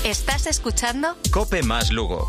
¿Estás escuchando? COPE más Lugo.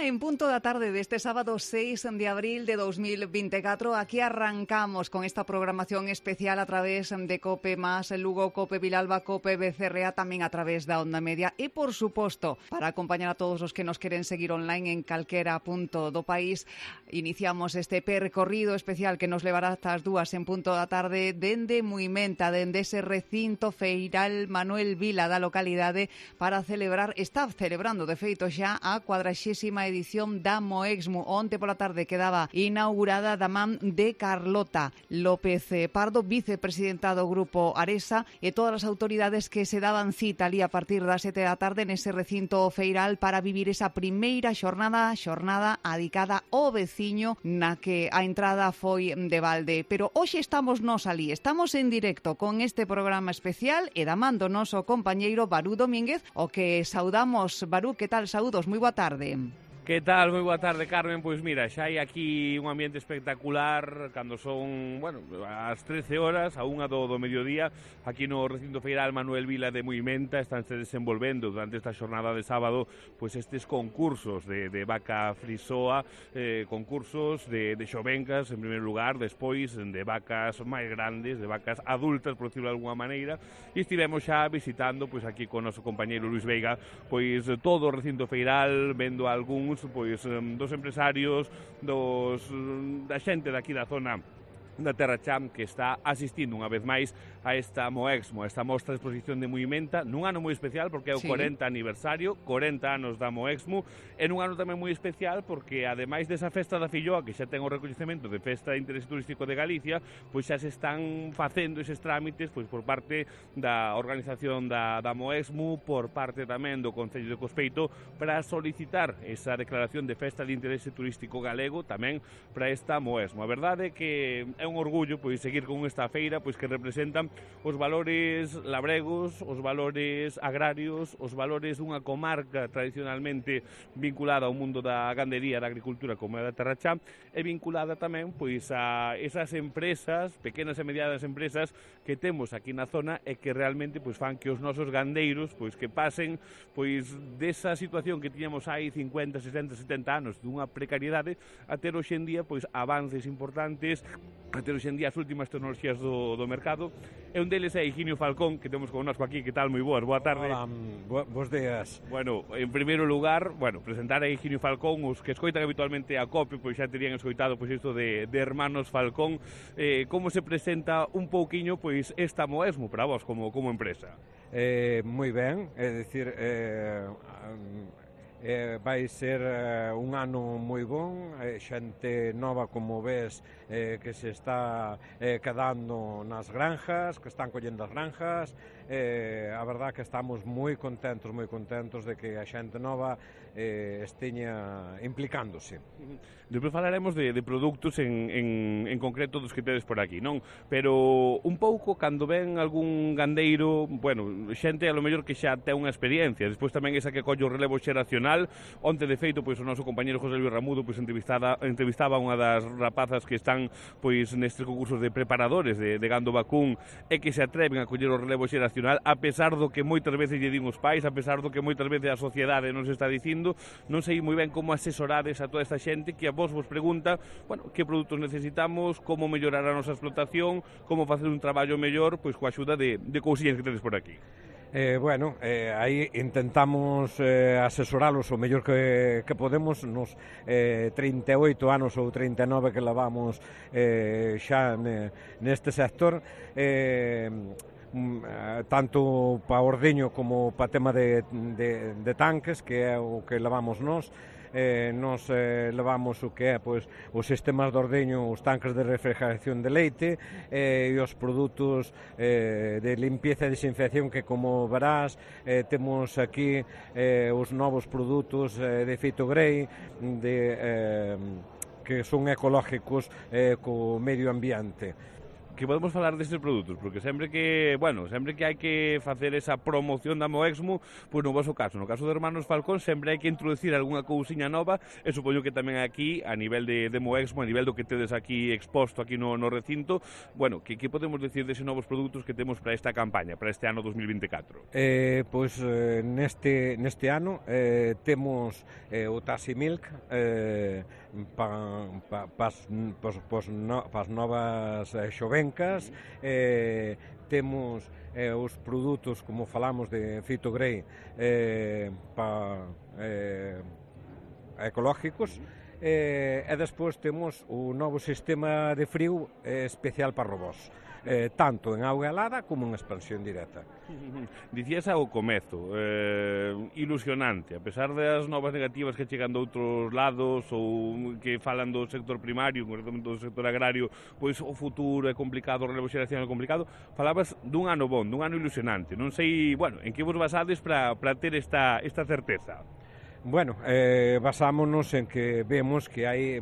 En punto da tarde deste sábado 6 de abril de 2024, aquí arrancamos con esta programación especial a través de COPE más Lugo, COPE Vilalba, COPE BCRA, tamén a través da Onda Media e, por suposto, para acompañar a todos os que nos queren seguir online en calquera punto do país, iniciamos este percorrido especial que nos levará hasta as 2 en punto da tarde dende Muimenta, dende ese recinto feiral Manuel Vila da localidade para está celebrando de feito xa a 40ª edición da Moexmu. Onte pola tarde quedaba inaugurada da man de Carlota López Pardo, vicepresidenta do Grupo Aresa, e todas as autoridades que se daban cita ali a partir das 7 da tarde nese recinto feiral para vivir esa primeira xornada adicada ao veciño, na que a entrada foi de balde. Pero hoxe estamos nós ali, estamos en directo con este programa especial e da man do noso compañeiro Barú Domínguez, o que saudamos. Barú, que tal? Saúdos, moi boa tarde. Que tal? Moi boa tarde, Carmen. Pois mira, xa hai aquí un ambiente espectacular cando son, bueno, as 13 horas, a 1 do mediodía, aquí no recinto feiral Manuel Vila de Muimenta. Estánse desenvolvendo durante esta xornada de sábado pois estes concursos de vaca frisoa, concursos de xovencas en primeiro lugar, despois de vacas máis grandes, de vacas adultas, por decirlo de alguma maneira, e estivemos xa visitando pois aquí con o noso compañeiro Luis Veiga pois todo o recinto feiral, vendo algúns pois dos empresarios, da xente daqui da zona da Terra Cham, que está asistindo unha vez máis a esta Moexmu, a esta mostra de exposición de Muimenta, nun ano moi especial porque é o 40 aniversario, 40 anos da Moexmu, e nun ano tamén moi especial porque, ademais desa festa da Filloa, que xa ten o recoñecemento de Festa de Interese Turístico de Galicia, pois xa se están facendo eses trámites pois por parte da organización da Moexmu, por parte tamén do Concello de Cospeito, para solicitar esa declaración de Festa de Interese Turístico Galego tamén para esta Moexmu. A verdade é que é un orgullo pois seguir con esta feira pois que representan os valores labregos, os valores agrarios, os valores dunha comarca tradicionalmente vinculada ao mundo da gandería, da agricultura como é da Terra Chá, e vinculada tamén pois a esas empresas, pequenas e medianas empresas que temos aquí na zona e que realmente pois fan que os nosos gandeiros pois que pasen pois desa situación que tiñamos hai 50, 60, 70 anos dunha precariedade a ter hoxe en día pois avances importantes, a ter hoxe en día as últimas tecnologías do mercado. E un deles é Higinio Falcón, que temos connosco aquí. Que tal? Moi boas, boa tarde. Hola, bos días. Bueno, en primeiro lugar, presentar a Higinio Falcón. Os que escoitan habitualmente a COPE, pois xa terían escoitado pois isto de Hermanos Falcón. Como se presenta un pouquiño pois esta Moexmu para vos como empresa? Moi ben, é dicir, vai ser un ano moi bon, xente nova, como ves, que se está quedando nas granjas, que están collendo as granjas. A verdad que estamos moi contentos de que a xente nova esteña implicándose. Depois falaremos de produtos en concreto dos que tedes por aquí, non? Pero un pouco, cando ven algún gandeiro, xente a lo mellor que xa ten unha experiencia, despois tamén esa que colle o relevo xeracional. Onte, de feito, pois o noso compañeiro José Luis Ramudo pois entrevistaba unha das rapazas que están pois nestes concursos de preparadores de gando vacún e que se atreven a coller o relevo xeracional, a pesar do que moitas veces lle din os pais, a pesar do que moitas veces a sociedade nos está dicindo. Non sei moi ben como asesorades a toda esta xente que a vos pregunta, que produtos necesitamos, como mellorar a nosa explotación, como facer un traballo mellor, pois coa axuda de cousiñas que tedes por aquí. Aí intentamos asesoralos o mellor que podemos nos 38 anos ou 39 que levamos xa neste sector, tanto pa ordeño como pa tema de tanques, que é o que levamos nós. Nos levamos o que é pois, os sistemas de ordeño, os tanques de refrigeración de leite e os produtos de limpieza e desinfección, que, como verás, temos aquí os novos produtos de Fito Grey, que son ecológicos co medio ambiente. Que podemos falar destes produtos, porque sempre que hai que facer esa promoción da Moexmo, pois no vosso caso, no caso de Hermanos Falcón, sempre hai que introducir algunha cousiña nova, e supoño que tamén aquí, a nivel de Moexmo, a nivel do que tedes aquí exposto aquí no recinto, bueno, que podemos decir deses novos produtos que temos para esta campaña, para este ano 2024? Neste ano temos o Tassi Milk para as novas xovencas, temos os produtos, como falamos, de Fito Grey ecológicos, e despois temos o novo sistema de frío especial para robós, tanto en auga helada como en expansión directa. Dicías ao comezo, ilusionante, a pesar das novas negativas que chegan de outros lados ou que falan do sector primario, concretamente do sector agrario, pois o futuro é complicado, o relevo xeracional é complicado, falabas dun ano bon, dun ano ilusionante. Non sei, bueno, en que vos basades para ter esta certeza? Bueno, basámonos en que vemos que hai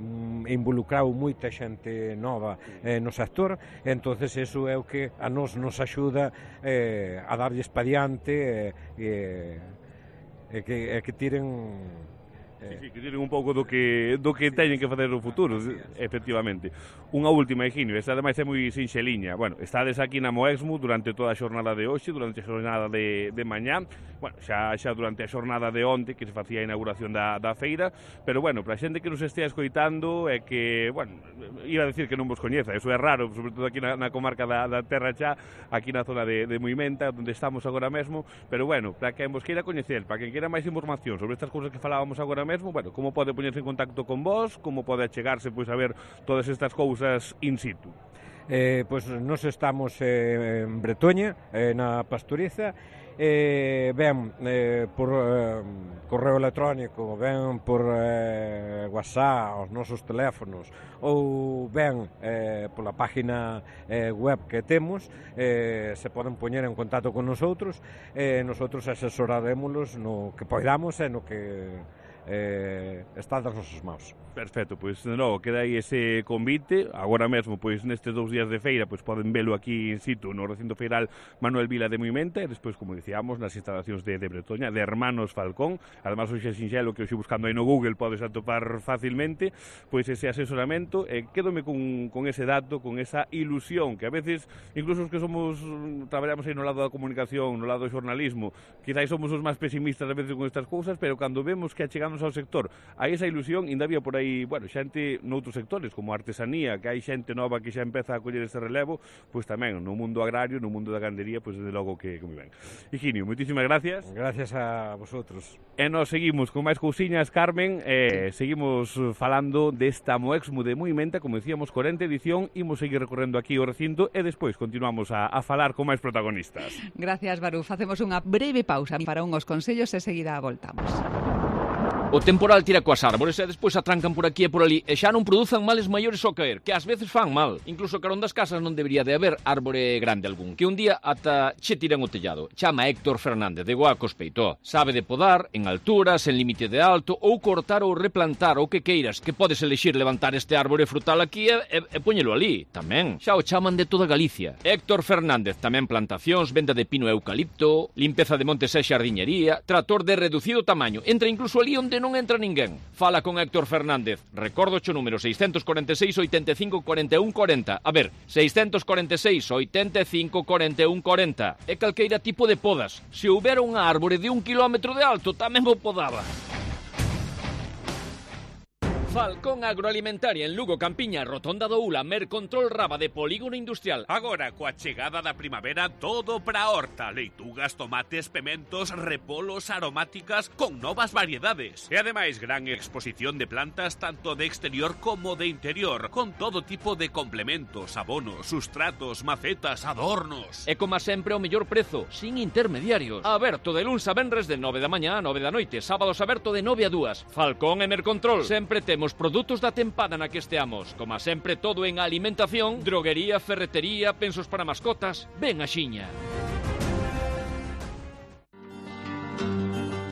involucrado moita xente nova no sector, entonces eso é o que a nos axuda a darlles pa diante e que tiren... Sí, que tiren un pouco do que teñen que facer no futuro, efectivamente. Unha última, Higinio, esta ademais é moi sinxeliña. Bueno, estades aquí na Moexmo durante toda a xornada de hoxe, durante a xornada de mañá, bueno, xa durante a xornada de onte, que se facía a inauguración da feira, pero bueno, para a xente que nos estea escoitando é que, bueno, iba a decir que non vos coñeza, eso é raro, sobre todo aquí na comarca da Terra Chá, aquí na zona de Muimenta, onde estamos agora mesmo, pero bueno, para quen vos queira coñecer, para quen queira máis información sobre estas cousas que falábamos agora mesmo, bueno, como pode poñerse en contacto con vos, como pode achegarse pois a ver todas estas cousas in situ? Pois nós estamos en Bretoña, na Pastoriza, ben por correo electrónico, ben por WhatsApp, os nosos teléfonos, ou ben pola página web que temos, se poden poñer en contacto con nosotros, nosotros asesoraremos no que poidamos e no que está das nosas mãos. Perfecto, pois de novo queda aí ese convite. Agora mesmo, pois nestes 2 días de feira, pois poden velo aquí in situ no recinto feiral Manuel Vila de Muimenta e despois, como dicíamos, nas instalacións de Bretoña, de Hermanos Falcón. Además, hoxe é sinxelo que hoxe buscando aí no Google podes atopar facilmente pois ese asesoramento, e quédome con ese dato, con esa ilusión que a veces, incluso os que traballamos aí no lado da comunicación, no lado do xornalismo, quizás somos os máis pesimistas a veces con estas cousas, pero cando vemos que achegamos ao sector, hai esa ilusión, ainda había por aí, bueno, xente noutros sectores, como a artesanía, que hai xente nova que xa empeza a coller ese relevo, pois tamén no mundo agrario, no mundo da gandería, pois desde logo que moi ben. Higinio, moitísimas gracias. Gracias a vosotros. E nos seguimos con máis cousiñas, Carmen, seguimos falando desta Moexmo de Muimenta, como decíamos, 40 edición, imos seguir recorrendo aquí o recinto e despois continuamos a falar con máis protagonistas. Gracias, Barú. Facemos unha breve pausa para unhos consellos e seguida voltamos. O temporal tira coas árbores e despois atrancan por aquí e por ali e xa non produzan males maiores ao caer, que ás veces fan mal. Incluso carón das casas non debería de haber árbore grande algún, que un día ata che tiran o tellado. Chama Héctor Fernández de Goacos Peitó. Sabe de podar, en alturas, en límite de alto, ou cortar ou replantar o que queiras, que podes elixir levantar este árbore frutal aquí e poñelo ali. Tamén, xa o chaman de toda Galicia. Héctor Fernández, tamén plantacións, venda de pino e eucalipto, limpeza de montes e xardiñería, trator de reducido tamaño, entra incluso ali onde non entra ninguén. Fala con Héctor Fernández. Recordo o número 646 85 41 40. A ver, 646 85 41 40. É calqueira tipo de podas. Se houbera unha árbore de 1 kilómetro de alto, tamén o podaba. Falcón Agroalimentaria en Lugo, Campiña, Rotonda do Ula, Mercontrol Raba de Polígono Industrial. Agora, coa chegada da primavera, todo para a horta. Leitugas, tomates, pementos, repolos, aromáticas, con novas variedades. E ademais, gran exposición de plantas tanto de exterior como de interior, con todo tipo de complementos, abonos, sustratos, macetas, adornos. E como sempre o mellor prezo, sin intermediarios. Aberto de luns a venres de 9 da mañá a 9 da noite, sábados aberto de 9 a 2. Falcón e Mercontrol. Sempre temos produtos da tempada na que esteamos. Como sempre, todo en alimentación, droguería, ferretería, pensos para mascotas. Ben axiña.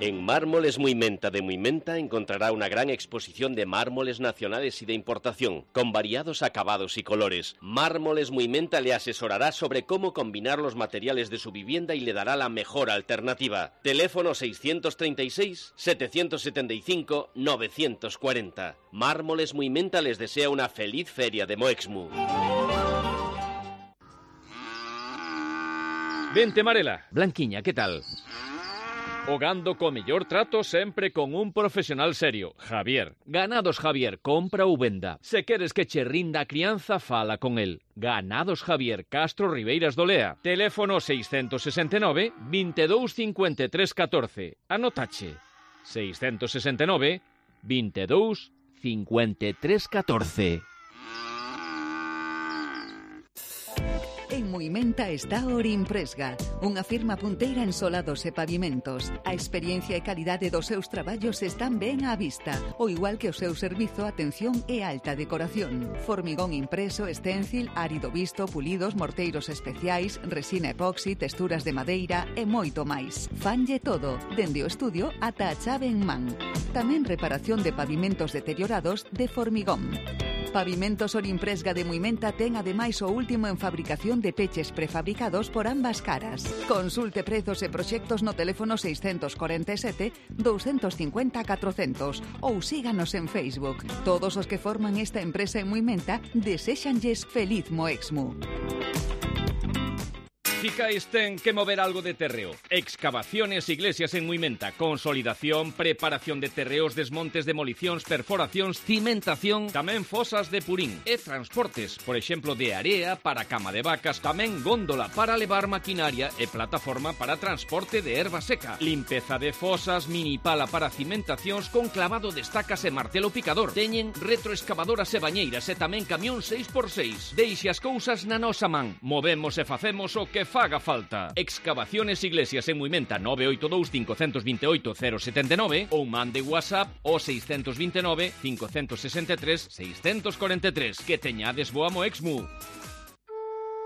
En Mármoles Muimenta de Muimenta encontrará una gran exposición de mármoles nacionales y de importación, con variados acabados y colores. Mármoles Muimenta le asesorará sobre cómo combinar los materiales de su vivienda y le dará la mejor alternativa. Teléfono 636-775-940. Mármoles Muimenta les desea una feliz feria de Moexmu. Vente, Marela. Blanquiña, ¿qué tal? Hogando co mellor trato sempre con un profesional serio. Javier. Ganados Javier, compra ou venda. Se queres que che rinda a crianza, fala con el. Ganados Javier, Castro Ribeiras do Lea. Teléfono 669 22 53 14. Anotache. 669 22 53 14. En Muimenta está Orimpresga, unha firma punteira en solados e pavimentos. A experiencia e calidade dos seus traballos están ben á vista, o igual que o seu servizo, atención e alta decoración. Formigón impreso, stencil, árido visto, pulidos, morteiros especiais, resina epoxi, texturas de madeira e moito máis. Fanlle todo, dende o estudio ata a chave en man. Tamén reparación de pavimentos deteriorados de formigón. Pavimentos Orimpresga de Muimenta ten ademais o último en fabricación de peches prefabricados por ambas caras. Consulte prezos e proxectos no teléfono 647 250 400 ou síganos en Facebook. Todos os que forman esta empresa en Muimenta deséxanlles feliz Moexmu. Ficáis ten que mover algo de terreo. Excavaciones Iglesias en Muimenta. Consolidación, preparación de terreos, desmontes, demolicións, perforacións, cimentación, tamén fosas de purín e transportes, por exemplo, de area para cama de vacas, tamén góndola para levar maquinaria e plataforma para transporte de erva seca. Limpeza de fosas, mini pala para cimentacións con clavado de estacas e martelo picador. Teñen retroexcavadoras e bañeiras e tamén camión 6x6. Deixe as cousas na nosa man. Movemos e facemos o que faga falta. Excavaciones Iglesias en Muimenta 982 528 079 ou mande WhatsApp o 629 563 643. Que teñades boa Moexmu.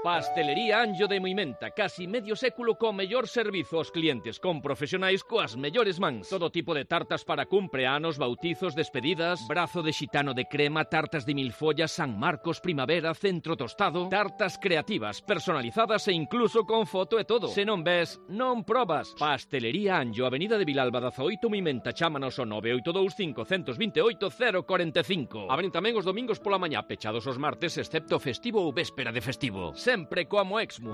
Pastelería Anjo de Muimenta, casi medio século co mellor servizo aos clientes, con profesionais coas mellores mans. Todo tipo de tartas para cumpleanos, bautizos, despedidas, brazo de xitano de crema, tartas de milfollas, San Marcos, primavera, centro tostado, tartas creativas, personalizadas e incluso con foto e todo. Se non ves, non probas. Pastelería Anjo, Avenida de Vilalba 18, Muimenta, chámanos o 982 528 045. Abren tamén os domingos pola mañá, pechados os martes, excepto festivo ou véspera de festivo. Sempre coa Moexmu.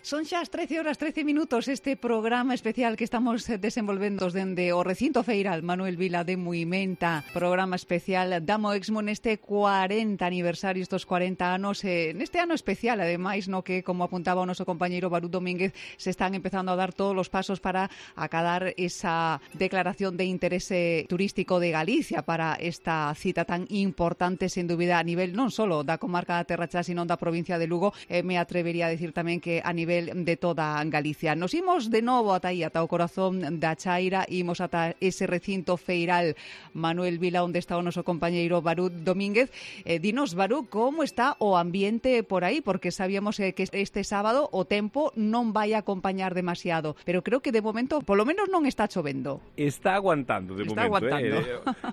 Son xa as 13:13 este programa especial que estamos desenvolvendo dende o recinto feiral Manuel Vila de Muimenta, programa especial da Moexmu neste 40 aniversario, estos 40 anos, neste ano especial, ademais, no que, como apuntaba o noso compañeiro Barú Domínguez, se están empezando a dar todos os pasos para acadar esa declaración de interese turístico de Galicia para esta cita tan importante, sen dúbida, a nivel non só da comarca da Terra Cha, sino da provincia de Lugo, me atrevería a decir tamén que a nivel de toda Galicia. Nos imos de novo ata aí, ata o corazón da Chaira, imos ata ese recinto feiral Manuel Vila, onde está o noso compañeiro Barú Domínguez. Dinos, Barú, como está o ambiente por aí? Porque sabíamos que este sábado o tempo non vai a acompañar demasiado, pero creo que de momento, polo menos, non está chovendo. Está aguantando de está momento.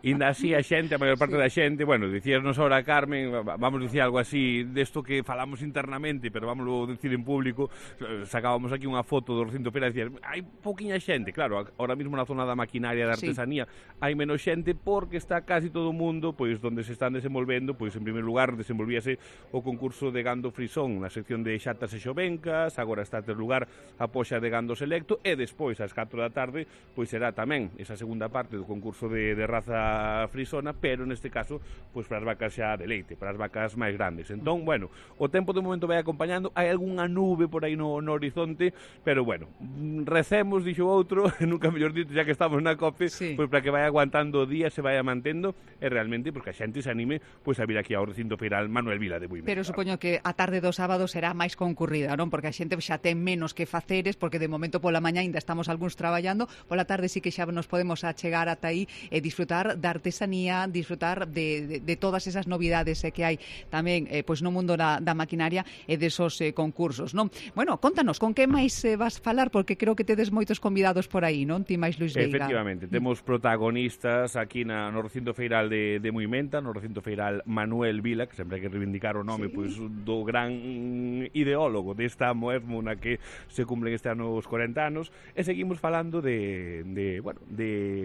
Inda así a xente, a maior parte da xente, bueno, dicíanos ahora, Carmen, vamos dicir algo así desto que falamos internamente, pero vamos a decir en público. Sacábamos aquí unha foto do recinto feira e dicían, hai pouquiña xente, claro, ahora mesmo na zona da maquinaria da artesanía hai menos xente porque está casi todo o mundo, pois onde se están desenvolvendo, pois en primeiro lugar desenvolvíase o concurso de gando frisón na sección de xatas e xovencas, agora está a ter lugar a poxa de gando selecto e despois ás 4 da tarde pois será tamén esa segunda parte do concurso de raza frisona, pero neste caso pois para as vacas xa de leite, para as vacas máis grandes. Entón, bueno, o tempo de momento vai acompañando, hai algunha nube por aí no horizonte, pero bueno, recemos, dixo outro, nunca mellor dito, ya que estamos na COPE, pois para que vai aguantando o día, se vai mantendo, e realmente, pois que a xente se anime pois a vir aquí ao recinto feiral Manuel Vila de Muimenta. Pero supoño que a tarde do sábado será máis concurrida, non? Porque a xente xa ten menos que faceres, porque de momento pola mañá ainda estamos algúns traballando, pola tarde sí que xa nos podemos achegar ata aí e disfrutar da artesanía, disfrutar de todas esas novidades que hai tamén pois no mundo da maquinaria e desos concursos, non? Bueno, contanos, con que máis vas falar, porque creo que tedes moitos convidados por aí, non? Ti máis Luis Veiga. Efectivamente, temos protagonistas aquí no recinto feiral de Muimenta, no recinto feiral Manuel Vila, que sempre hai que reivindicar o nome pois do gran ideólogo desta Moesmo na que se cumplen este ano os 40 anos, e seguimos falando de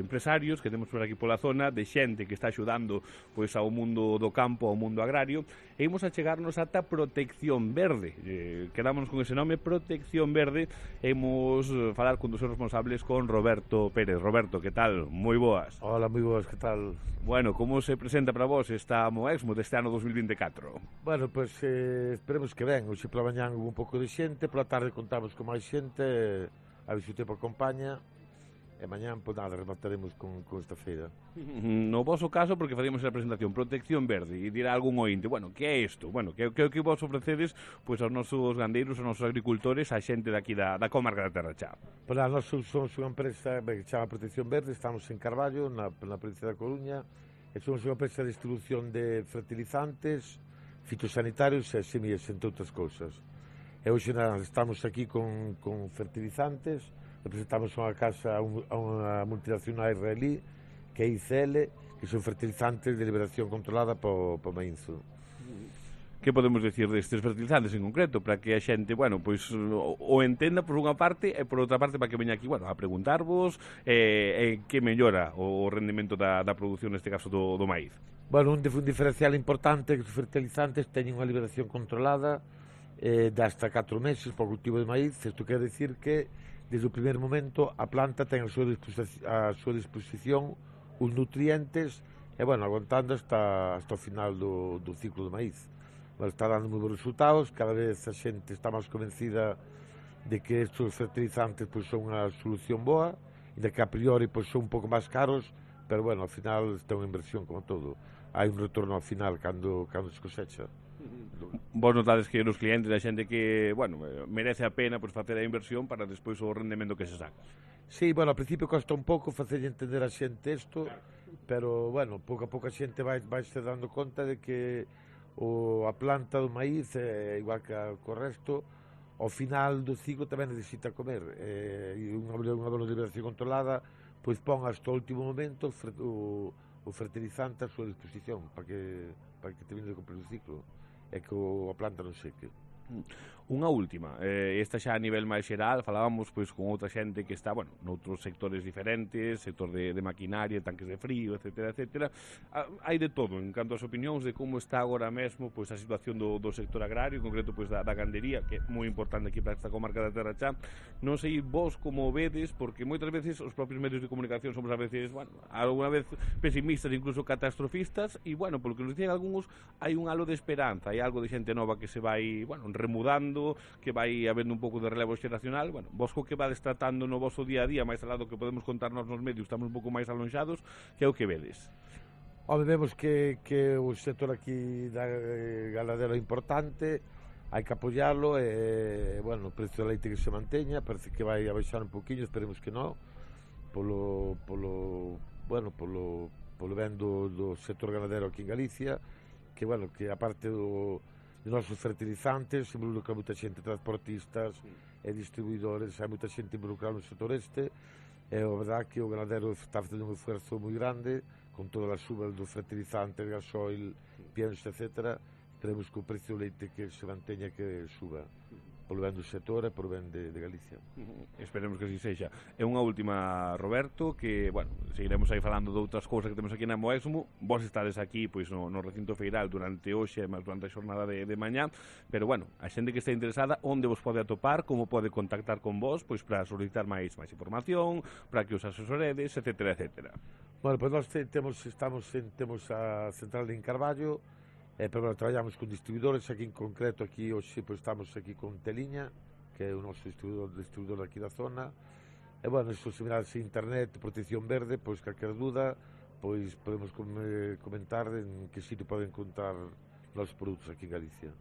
empresarios que temos por aquí pola zona, de xente que está axudando pois ao mundo do campo, ao mundo agrario, e imos a chegarnos ata Protección Verde. Quedámonos con ese nome, Protección Verde, e imos falar con dos seus responsables, con Roberto Pérez. Roberto, que tal? Moi boas. Hola, moi boas, que tal? Bueno, como se presenta para vos esta Moexmo deste ano 2024? Bueno, pois esperemos que ben. Hoxe pola mañán hubo un pouco de xente, pola tarde contamos con máis xente, a ver se o tempo acompaña, e mañán, pois nada, remataremos con esta feira. No vosso caso, porque facíamos a presentación Protección Verde, e dirá algún ointe, bueno, que é isto? Bueno, que vos ofrecedes pois aos nosos gandeiros, aos nosos agricultores, a xente daqui da comarca da Terra Chá? Pois nós somos unha empresa que se chama Protección Verde, estamos en Carballo, na provincia da Coruña, e somos unha empresa de distribución de fertilizantes, fitosanitarios e semillas, entre outras cousas. E hoxe estamos aquí con fertilizantes, representamos unha casa, unha multinacional israelí, que é ICL, que son fertilizantes de liberación controlada po maínzo. Que podemos decir destes fertilizantes en concreto, para que a xente, bueno, pois o entenda por unha parte, e por outra parte para que veña aquí, bueno, a preguntarvos que mellora o rendimento da produción, neste caso do maíz. Bueno, un diferencial importante é que os fertilizantes teñen unha liberación controlada de hasta 4 meses para o cultivo de maíz. Isto quer decir que desde o primeiro momento a planta ten a súa disposición os nutrientes e, bueno, aguantando hasta o final do ciclo do maíz. Bueno, está dando moi bons resultados, cada vez a xente está máis convencida de que estes fertilizantes pois, son unha solución boa e de que a priori pois, son un pouco máis caros, pero, bueno, ao final está unha inversión como todo. Hai un retorno ao final cando se cosecha. Vos notades que os clientes, a xente que, bueno, merece a pena pois, facer a inversión para despois o rendemento que se saca. Sí, bueno, ao principio costa un pouco facer entender a xente isto, pero, bueno, pouco a pouco a xente vai se dando conta de que a planta do maíz, igual que o resto, ao final do ciclo tamén necesita comer. E unha boa liberación controlada, pois pon hasta o último momento o fertilizante a súa disposición para que termine de cumprir o ciclo e que a planta non seque. Unha última, esta xa a nivel máis xeral, falábamos pois con outra xente que está, bueno, noutros sectores diferentes, sector de maquinaria, tanques de frío, etcétera, etcétera. Hai de todo, en canto ás opinións de como está agora mesmo pois a situación do sector agrario, en concreto pois da gandería, que é moi importante aquí para esta comarca da Terra Chá. Non sei vos como vedes, porque moitas veces os propios medios de comunicación somos a veces, bueno, alguna vez pesimistas, incluso catastrofistas, e, bueno, polo que nos dicen algúns, hai un halo de esperanza, hai algo de xente nova que se vai, bueno, remudando, que vai habendo un pouco de relevo xeracional. Bueno, vos co que vades tratando no vosso día a día, máis alado que podemos contarnos nos medios, estamos un pouco máis alonxados, que é o que vedes? Home, vemos que o sector aquí da ganadero é importante, hai que apoiarlo, e, bueno, o precio da leite que se manteña, parece que vai a baixar un poquinho, esperemos que non, polo ben do sector ganadero aquí en Galicia, que, bueno, que aparte dos nosos fertilizantes, se involucra moita xente, transportistas e distribuidores, hai moita xente involucrada no sector este, e a verdade que o ganadero está facendo un esforzo moi grande, con todas as subas dos fertilizantes, gasoil, pienso, etc. Queremos que o precio do leite que se manteña, que suba, polo ben do sector e polo ben de Galicia. Esperemos que así sexa. E unha última, Roberto, que, bueno, seguiremos aí falando de outras cousas que temos aquí na Moexmo. Vos estades aquí, pois, no recinto feiral durante hoxe, máis durante a xornada de mañá, pero, bueno, a xente que está interesada, onde vos pode atopar, como pode contactar con vos, pois, para solicitar máis información, para que os asesoredes, etcétera, etcétera. Bueno, pois nós temos a central en Carballo, pero bueno, traballamos con distribuidores, aquí en concreto, aquí hoxe pois, estamos aquí con Teliña, que é o noso distribuidor aquí da zona. E, bueno, isto se mirase internet, Protección Verde, pois, calquer dúda, pois, podemos comentar en que sitio poden encontrar os produtos aquí en Galicia.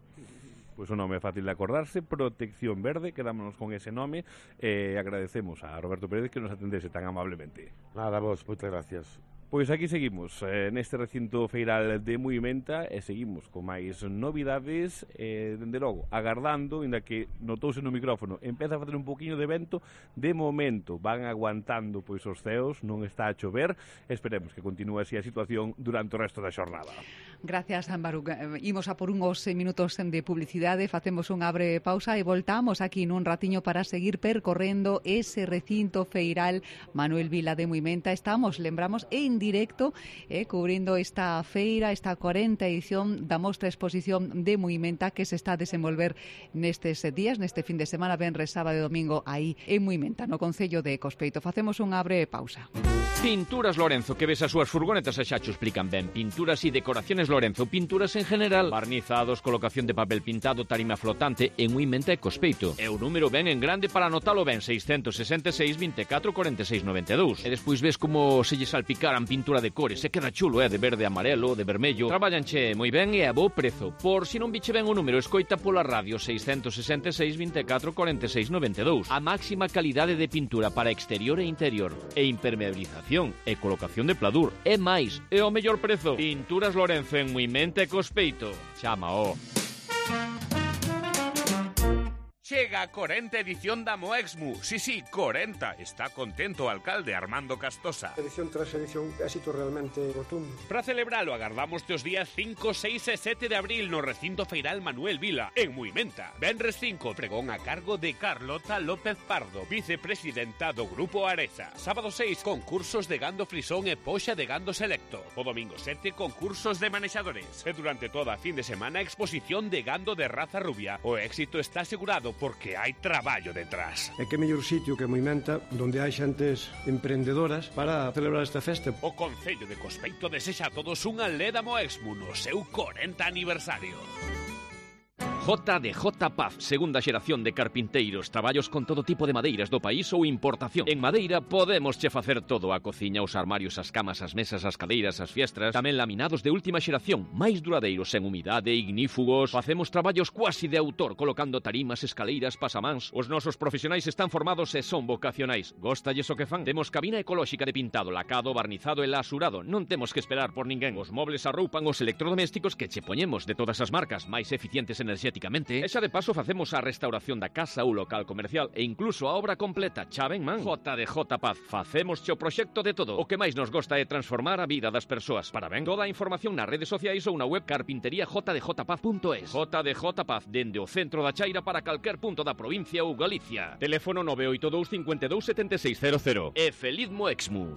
Pois o nome é fácil de acordarse, Protección Verde, quedámonos con ese nome e agradecemos a Roberto Pérez que nos atendese tan amablemente. Nada, vos, moitas gracias. Pois aquí seguimos neste recinto feiral de Muimenta e seguimos con máis novidades dende logo, agardando, inda que notouse no micrófono, empeza a facer un poquinho de vento, de momento van aguantando pois os ceos, non está a chover, esperemos que continue así a situación durante o resto da xornada. Gracias, Baruc. Imos a por uns minutos de publicidade, facemos unha breve pausa e voltamos aquí nun ratiño para seguir percorrendo ese recinto feiral Manuel Vila de Muimenta. Estamos, lembramos, en directo, cubrindo esta feira, esta 40 edición da mostra exposición de Muimenta que se está a desenvolver nestes días, neste fin de semana, venres, sábado e domingo, aí en Muimenta, no concello de Cospeito. Facemos unha breve pausa. Pinturas Lorenzo, que ves as súas furgonetas e xa cho explican ben. Pinturas e decoraciones Lorenzo, pinturas en general, barnizados, colocación de papel pintado, tarima flotante, en Muimenta e Cospeito. E o número ben en grande para anotalo ben, 666 24 46 92. E despois ves como se lle salpicaran pintura de cores, se queda chulo, de verde, amarelo, de vermello. Traballanche moi ben e a bo prezo. Por si non biche ben o número, escoita pola radio 666 24 46 92. A máxima calidade de pintura para exterior e interior, e impermeabilización, e colocación de pladur. E máis, e o mellor prezo. Pinturas Lorenzo en Muimenta e Cospeito. Chámao. Chega a 40 edición da Moexmu. Sí, 40. Está contento o alcalde Armando Castosa. Edición tras edición, éxito realmente rotundo. Para celebralo, agardamos os días 5, 6 e 7 de abril no recinto feiral Manuel Vila, en Muimenta. Venres 5, pregón a cargo de Carlota López Pardo, vicepresidenta do Grupo Areza. Sábado 6, concursos de gando frisón e poxa de gando selecto. O domingo 7, concursos de manexadores. E durante toda a fin de semana, exposición de gando de raza rubia. O éxito está asegurado porque hai traballo detrás. E que mellor sitio que Muimenta, donde hai xentes emprendedoras para celebrar esta festa. O Concello de Cospeito desexa a todos unha leda Moexmu no seu 40 aniversario. JDJ Paz, segunda xeración de carpinteiros, traballos con todo tipo de madeiras do país ou importación. En madeira podemos che facer todo, a cociña, os armarios, as camas, as mesas, as cadeiras, as fiestras, tamén laminados de última xeración, máis duradeiros en humidade, ignífugos. Facemos traballos cuasi de autor, colocando tarimas, escaleiras, pasamáns. Os nosos profesionais están formados e son vocacionais. Góstalles o que fan? Temos cabina ecolóxica de pintado, lacado, barnizado e lasurado. Non temos que esperar por ninguén. Os mobles arroupan os electrodomésticos que che poñemos de todas as marcas, máis eficientes enerxéticamente. E xa de paso facemos a restauración da casa ou local comercial e incluso a obra completa. Xa ben, man? JDJ Paz. Facemos o proxecto de todo. O que máis nos gosta é transformar a vida das persoas. Para ben, toda a información nas redes sociais ou na web carpinteriajdjpaz.es. JDJ Paz, dende o centro da Chaira para calquer punto da provincia ou Galicia. Teléfono 982 52 7600. E feliz Moexmu.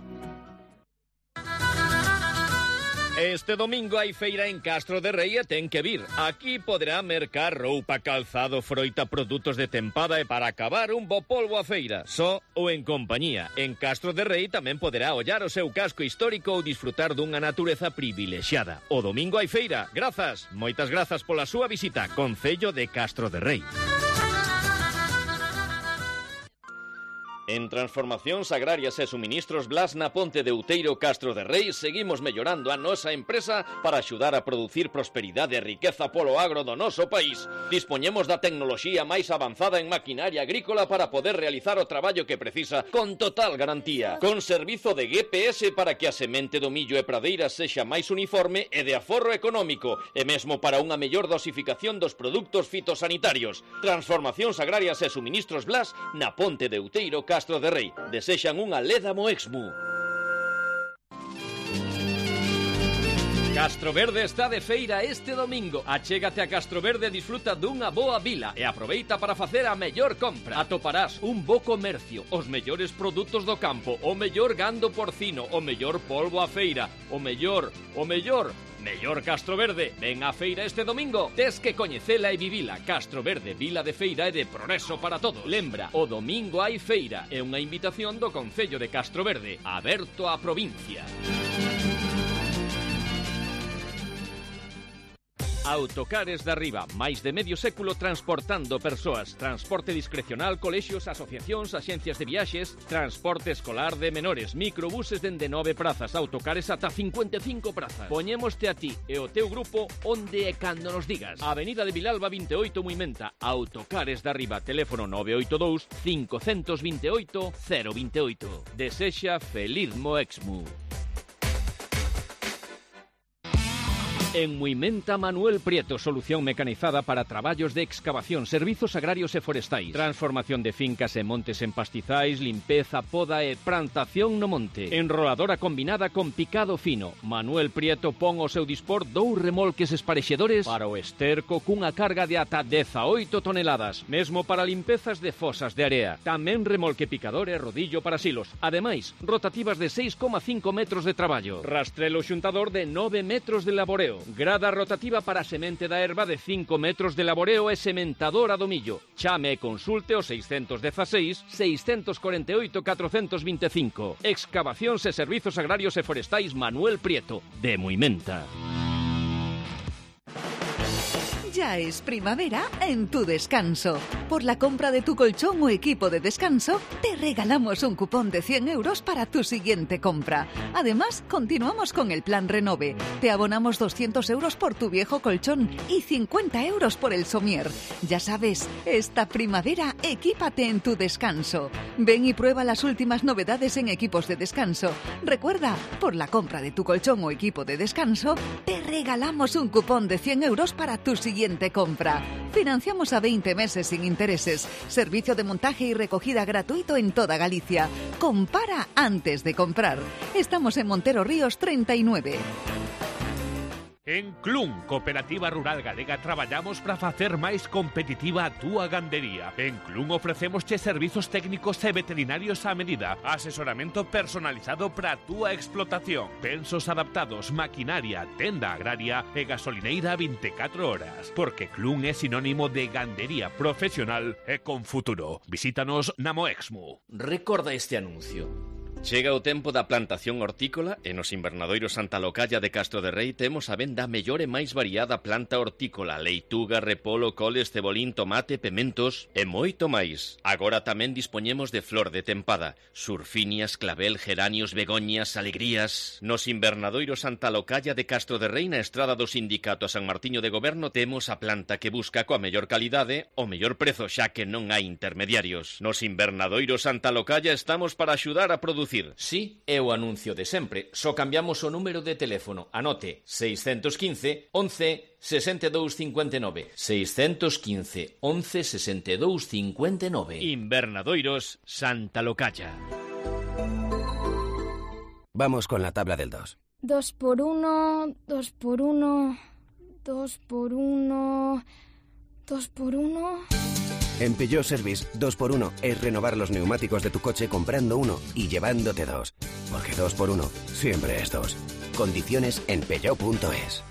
Este domingo hai feira en Castro de Rei e ten que vir. Aquí poderá mercar roupa, calzado, froita, produtos de tempada e para acabar un bo polvo a feira, só ou en compañía. En Castro de Rei tamén poderá ollar o seu casco histórico ou disfrutar dunha natureza privilexiada. O domingo hai feira. Grazas, moitas grazas pola súa visita. Concello de Castro de Rei. En Transformacións Agrarias e Suministros Blas na Ponte de Outeiro, Castro de Rei, seguimos mellorando a nosa empresa para axudar a producir prosperidade e riqueza polo agro do noso país. Dispoñemos da tecnoloxía máis avanzada en maquinaria agrícola para poder realizar o traballo que precisa con total garantía. Con servizo de GPS para que a semente do millo e pradeira sexa máis uniforme e de aforro económico, e mesmo para unha mellor dosificación dos produtos fitosanitarios. Transformacións Agrarias e Suministros Blas na Ponte de Outeiro, Castro de Rei. Desexan unha leda Moexmu. Castro Verde está de feira este domingo. Achégate a Castro Verde e disfruta dunha boa vila e aproveita para facer a mellor compra. Atoparás un bo comercio, os mellores produtos do campo, o mellor gando porcino, o mellor polvo a feira, o mellor Mellor Castro Verde. Ven á feira este domingo. Tes que coñecela e vivila. Castro Verde, vila de feira e de progreso para todos. Lembra, o domingo hai feira. É unha invitación do Concello de Castro Verde, aberto á provincia. Autocares da Riba, máis de medio século transportando persoas. Transporte discrecional, colexios, asociacións, axencias de viaxes, transporte escolar de menores, microbuses dende 9 prazas, autocares ata 55 prazas. Poñémoste a ti e o teu grupo onde e cando nos digas. Avenida de Vilalba 28, Muimenta. Autocares da Riba, teléfono 982 528 028. Desexa feliz Moexmu. En Muimenta, Manuel Prieto, solución mecanizada para traballos de excavación, servizos agrarios e forestais, transformación de fincas e montes en pastizais, limpeza, poda e plantación no monte, enroladora combinada con picado fino. Manuel Prieto pon ao seu dispor 2 remolques esparexedores para o esterco cunha carga de ata 18 toneladas, mesmo para limpezas de fosas de area. Tamén remolque picador e rodillo para silos, ademais, rotativas de 6,5 metros de traballo, rastrelo xuntador de 9 metros de laboreo, grada rotativa para semente da erva de 5 metros de laboreo e sementadora do millo. Chame e consulte o 616 648 425. Excavacións e servizos agrarios e forestais Manuel Prieto, de Muimenta. Ya es primavera en tu descanso. Por la compra de tu colchón o equipo de descanso, te regalamos un cupón de 100 euros para tu siguiente compra. Además, continuamos con el plan Renove. Te abonamos 200 euros por tu viejo colchón y 50 euros por el somier. Ya sabes, esta primavera equípate en tu descanso. Ven y prueba las últimas novedades en equipos de descanso. Recuerda, por la compra de tu colchón o equipo de descanso, te regalamos un cupón de 100 euros para tu siguiente compra. Financiamos a 20 meses sin intereses. Servicio de montaje y recogida gratuito en toda Galicia. Compara antes de comprar. Estamos en Montero Ríos 39. En Clun, Cooperativa Rural Galega, traballamos para facer máis competitiva a túa gandería. En Clun ofrecemosche servizos técnicos e veterinarios a medida, asesoramento personalizado para a túa explotación, pensos adaptados, maquinaria, tenda agraria e gasolineira 24 horas. Porque Clun é sinónimo de gandería profesional e con futuro. Visítanos na Moexmu. Recorda este anuncio. Chega o tempo da plantación hortícola e nos invernadoiros Santa Localla de Castro de Rei temos a venda a mellor e máis variada planta hortícola, leituga, repolo, coles, cebolín, tomate, pementos e moito máis. Agora tamén dispoñemos de flor de tempada, surfinias, clavel, geranios, begoñas, alegrías. Nos invernadoiros Santa Localla de Castro de Rei na estrada do Sindicato a San Martiño de Goberno temos a planta que busca coa mellor calidade o mellor prezo xa que non hai intermediarios. Nos invernadoiros Santa Localla estamos para axudar a producir. Sí, é o anuncio de sempre. Só cambiamos o número de teléfono. Anote, 615 11 62 59. 615 11 62 59. Invernadoiros Santa Localla. Vamos con la tabla del 2. 2 por 1, 2 por 1, 2 por 1, 2 por 1... En Peugeot Service, 2x1 es renovar los neumáticos de tu coche comprando uno y llevándote 2. Porque 2x1 siempre es 2. Condiciones en peugeot.es.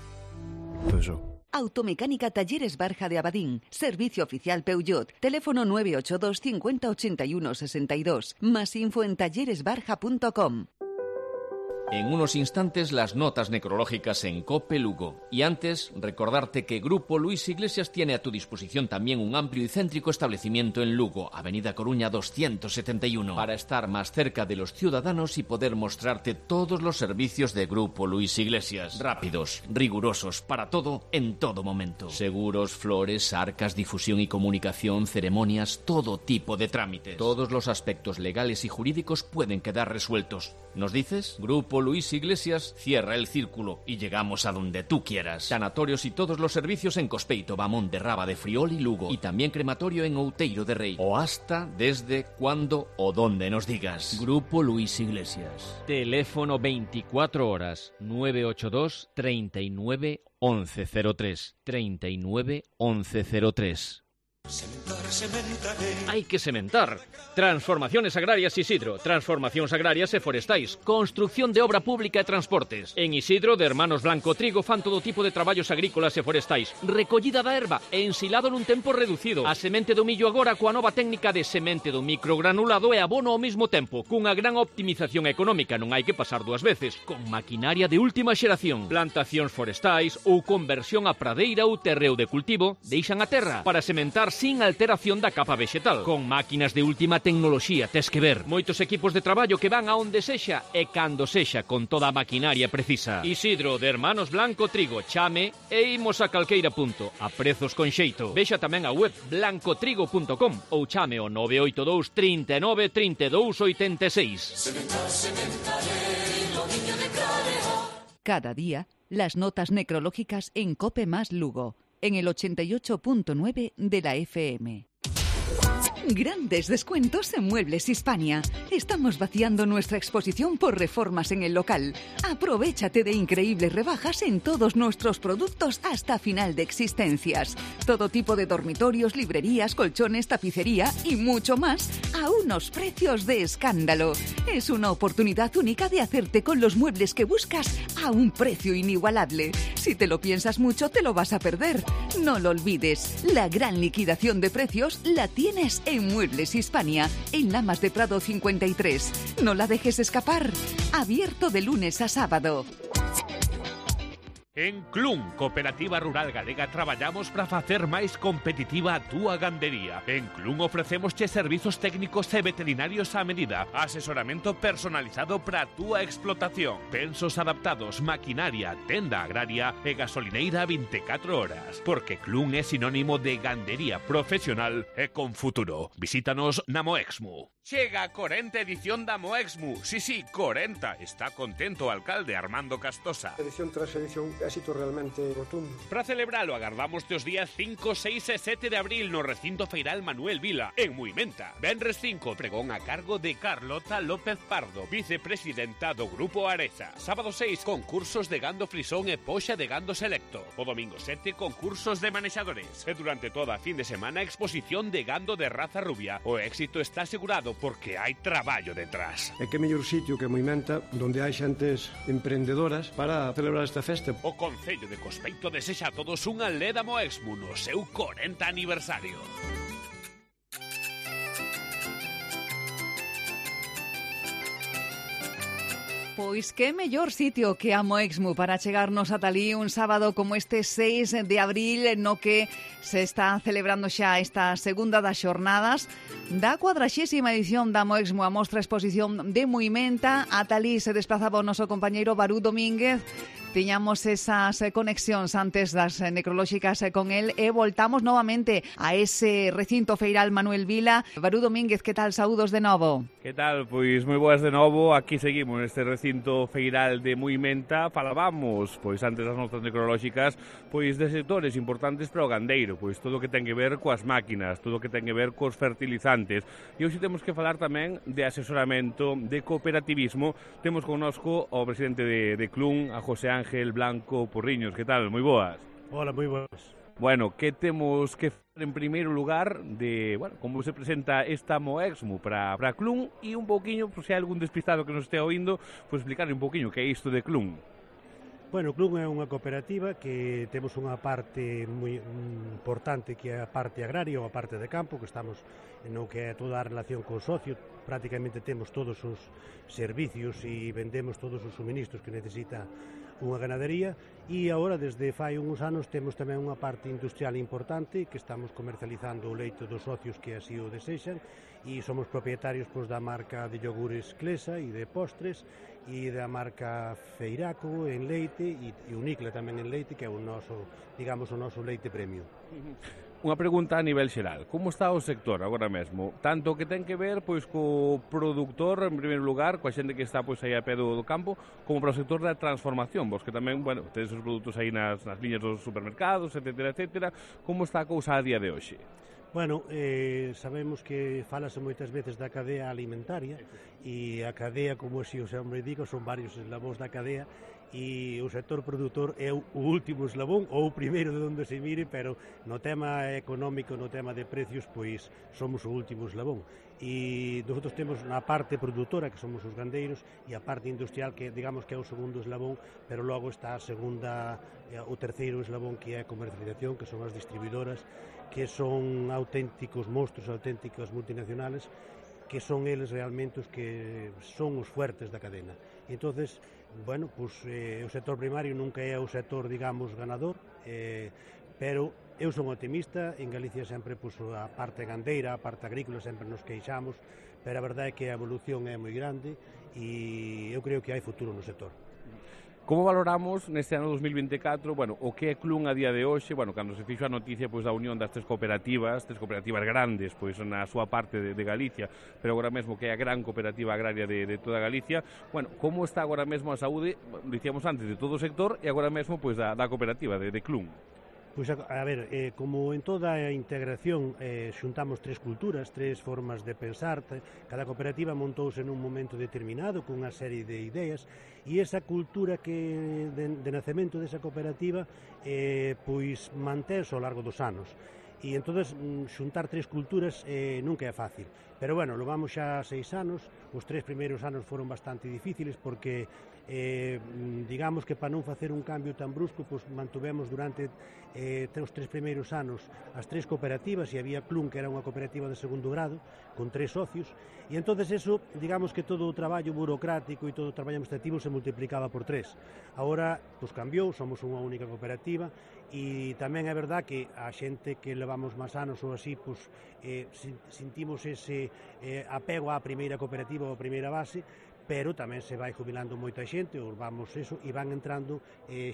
Automecánica Talleres Barja de Abadín. Servicio oficial Peugeot. Teléfono 982 50 81 62. Más info en talleresbarja.com. En unos instantes las notas necrológicas en COPE Lugo. Y antes, recordarte que Grupo Luis Iglesias tiene a tu disposición también un amplio y céntrico establecimiento en Lugo, Avenida Coruña 271, para estar más cerca de los ciudadanos y poder mostrarte todos los servicios de Grupo Luis Iglesias. Rápidos, rigurosos, para todo, en todo momento. Seguros, flores, arcas, difusión y comunicación, ceremonias, todo tipo de trámites. Todos los aspectos legales y jurídicos pueden quedar resueltos. ¿Nos dices? Grupo Luis Iglesias cierra el círculo y llegamos a donde tú quieras. Sanatorios y todos los servicios en Cospeito, Bamón de Raba de Friol y Lugo. Y también crematorio en Outeiro de Rei. O hasta, desde, cuando o donde nos digas. Grupo Luis Iglesias. Teléfono 24 horas 982 39 1103. 39 1103. Hai que sementar. Transformaciones agrarias Isidro, transformacións agrarias e forestais, construcción de obra pública e transportes. En Isidro, de Hermanos Blanco Trigo, fan todo tipo de traballos agrícolas e forestais. Recollida da erva e ensilado nun tempo reducido. A semente do millo agora coa nova técnica de semente do microgranulado e abono ao mesmo tempo, cunha gran optimización económica, non hai que pasar dúas veces, con maquinaria de última xeración. Plantacións forestais ou conversión a pradeira ou terreo de cultivo, deixan a terra para sementar sin alteración da capa vexetal. Con máquinas de última tecnoloxía, tes que ver. Moitos equipos de traballo que van a onde sexa e cando sexa con toda a maquinaria precisa. Isidro, de Hermanos Blanco Trigo, chame e imos a calqueira punto, a prezos con xeito. Vexa tamén a web blancotrigo.com ou chame o 982 39 32 86. Cada día, las notas necrológicas en COPE más Lugo, en el 88.9 de la FM. Grandes descuentos en Muebles Hispania. Estamos vaciando nuestra exposición por reformas en el local. Aprovéchate de increíbles rebajas en todos nuestros productos hasta final de existencias. Todo tipo de dormitorios, librerías, colchones, tapicería y mucho más a unos precios de escándalo. Es una oportunidad única de hacerte con los muebles que buscas a un precio inigualable. Si te lo piensas mucho, te lo vas a perder. No lo olvides. La gran liquidación de precios la tienes en Muebles Hispania, en Lamas de Prado 53. No la dejes escapar. Abierto de lunes a sábado. En Clun, Cooperativa Rural Galega, traballamos para facer máis competitiva a túa gandería. En Clun ofrecemos servizos técnicos e veterinarios a medida, asesoramento personalizado para a túa explotación, pensos adaptados, maquinaria, tenda agraria e gasolineira 24 horas. Porque Clun é sinónimo de gandería profesional e con futuro. Visítanos na Moexmu. Chega a 40 edición da Moexmu. Sí, 40. Está contento o alcalde Armando Castosa. Edición tras edición, éxito realmente rotundo. Para celebralo, agardamos os días 5, 6 e 7 de abril no recinto feiral Manuel Vila, en Muimenta. Venres 5, pregón a cargo de Carlota López Pardo, vicepresidenta do Grupo Areza. Sábado 6, concursos de gando frisón e poxa de gando selecto. O domingo 7, concursos de manexadores. E durante toda a fin de semana, exposición de gando de raza rubia. O éxito está asegurado porque hai traballo detrás. E que mellor sitio que Muimenta, donde hai xentes emprendedoras para celebrar esta festa. O Concello de Cospeito desexa a todos unha leda Moexmu no seu 40 aniversario. Pois que mellor sitio que a Moexmu para chegarnos ata ali un sábado como este 6 de abril no que se está celebrando xa esta segunda das xornadas da 40ª edición da Moexmu, a mostra exposición de Muimenta. Ata ali se desplazaba o noso compañeiro Barú Domínguez. Tiñamos esas conexións antes das necrolóxicas con él e voltamos novamente a ese recinto feiral Manuel Vila. Barú Domínguez, que tal? Saúdos de novo. Que tal? Pois moi boas de novo. Aquí seguimos neste recinto feiral de Muimenta. Falábamos, pois antes das notas necrolóxicas, pois de sectores importantes para o gandeiro, pois todo o que ten que ver coas máquinas, todo o que ten que ver cos fertilizantes. E hoxe temos que falar tamén de asesoramento, de cooperativismo. Temos connosco o presidente de Clun, a José Ángel Blanco Porriños. Que tal? Moi boas. Hola, moi boas. Bueno, que temos que falar en primeiro lugar de, bueno, como se presenta esta Moexmu para Clun e un pouquiño, se hai algún despistado que nos estea oindo, pois explicarle un pouquiño que é isto de Clun. Bueno, Clun é unha cooperativa que temos unha parte moi importante que é a parte agraria ou a parte de campo, que estamos no que é toda a relación con socios. Prácticamente temos todos os servicios e vendemos todos os suministros que necesita unha ganadería, e agora desde fai uns anos temos tamén unha parte industrial importante que estamos comercializando o leite dos socios que así o desexan, e somos propietarios pois, da marca de yogures Clesa e de postres, e da marca Feiraco en leite e Unicla tamén en leite, que é o noso, digamos, o noso leite premium. Unha pregunta a nivel xeral. Como está o sector agora mesmo? Tanto que ten que ver pois co produtor, en primeiro lugar, coa xente que está pois aí a pé do campo, como para o sector da transformación, vos que tamén, bueno, tedes os produtos aí nas liñas dos supermercados, etcétera, etcétera. Como está a cousa a día de hoxe? Bueno, sabemos que falase moitas veces da cadea alimentaria, e a cadea, como así o hombre digo, son varios eslabóns da cadea, e o sector produtor é o último eslabón ou o primeiro de onde se mire, pero no tema económico, no tema de precios, pois somos o último eslabón. E nosotros temos na parte produtora, que somos os gandeiros, e a parte industrial, que digamos que é o segundo eslabón, pero logo está a segunda, o terceiro eslabón, que é a comercialización, que son as distribuidoras, que son auténticos monstruos, auténticas multinacionales, que son eles realmente os que son os fuertes da cadena. E entonces, bueno, pues, o sector primario nunca é o sector, digamos, ganador, pero eu son optimista. En Galicia sempre, pues, a parte gandeira, a parte agrícola, sempre nos queixamos, pero a verdade é que a evolución é moi grande e eu creo que hai futuro no sector. Como valoramos neste ano 2024, bueno, o que é Clun a día de hoxe, bueno, cando se fixo a noticia pois da unión das tres cooperativas grandes, pois na súa parte de Galicia, pero agora mesmo que é a gran cooperativa agraria de toda Galicia, bueno, como está agora mesmo a saúde, dicíamos antes, de todo o sector e agora mesmo pois da cooperativa de Clun? Pois, a ver, como en toda a integración xuntamos tres culturas, tres formas de pensar, cada cooperativa montouse nun momento determinado con unha serie de ideas, e esa cultura que de nacemento desa cooperativa pois mantense ao largo dos anos. E entonces xuntar tres culturas nunca é fácil, pero bueno, lo vamos xa 6 anos. Os 3 primeiros anos foron bastante difíciles porque digamos que para non facer un cambio tan brusco, pues, mantuvemos durante os 3 primeiros anos as 3 cooperativas, e había Clun, que era unha cooperativa de segundo grado con 3 socios, e entonces eso, digamos que todo o traballo burocrático e todo o traballo administrativo se multiplicaba por 3. Agora, pues, cambiou, somos unha única cooperativa, e tamén é verdad que a xente que levamos máis anos ou así, pues, sentimos ese apego á primeira cooperativa ou á primeira base, pero tamén se vai jubilando moita xente, ou vamos eso, e van entrando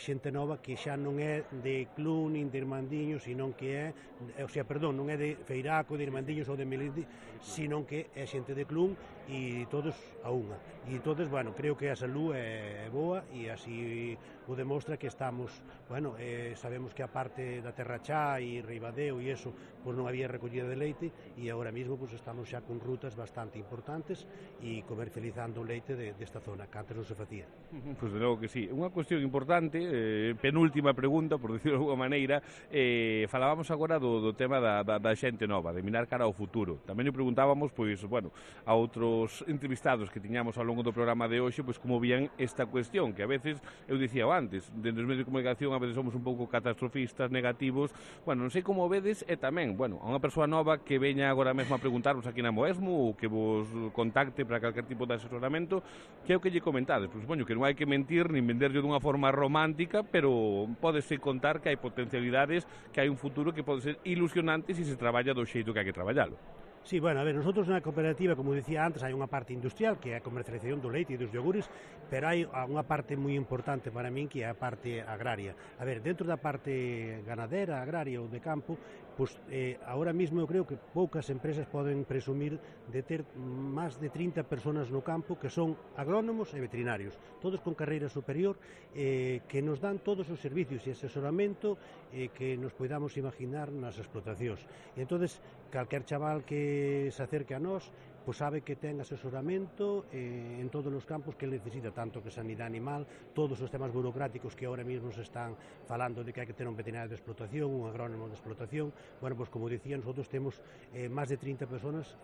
xente nova que xa non é de Clun, nin de Irmandiños, senón que é, non é de Feiraco, de Irmandiños ou de Melide, senón que é xente de Clun, e todos a unha. E entonces, bueno, creo que a salud é boa, e así o demostra que estamos, bueno, sabemos que a parte da Terrachá e Ribadeo e eso, pues non había recollida de leite, e agora mesmo pues estamos xa con rutas bastante importantes e comercializando leite desta zona, que antes non se facía. Pois de logo que sí. Unha cuestión importante, penúltima pregunta, por dicirlo de alguma maneira, falábamos agora do tema da xente nova, de mirar cara ao futuro. Tamén lle preguntábamos, pois, bueno, a outros entrevistados que tiñamos ao longo do programa de hoxe, pois como vían esta cuestión, que a veces, eu dicía antes, dentro dos medios de comunicación a veces somos un pouco catastrofistas, negativos, bueno, non sei como vedes, e tamén, bueno, a unha persoa nova que veña agora mesmo a preguntarvos aquí na Moesmo, ou que vos contacte para calquer tipo de asesoramento, que é o que lle comentades, pois supoño que non hai que mentir nin venderlle dunha forma romántica, pero pódese contar que hai potencialidades, que hai un futuro que pode ser ilusionante se se traballa do xeito que hai que traballalo. Sí, bueno, a ver, nosotros na cooperativa, como dicía antes, hai unha parte industrial, que é a comercialización do leite e dos iogures, pero hai unha parte moi importante para min, que é a parte agraria. A ver, dentro da parte ganadera, agraria ou de campo, pues, ahora mismo eu creo que poucas empresas poden presumir de ter máis de 30 personas no campo que son agrónomos e veterinarios, todos con carreira superior, que nos dan todos os servicios e asesoramento que nos podamos imaginar nas explotacións. E entonces, calquer chaval que se acerque a nós, pois sabe que ten asesoramento en todos os campos que necesita, tanto que sanidade animal, todos os temas burocráticos que ahora mismo se están falando de que hai que ter un veterinario de explotación, un agrónomo de explotación. Bueno, pois como dicía, nosotros temos máis de 30 personas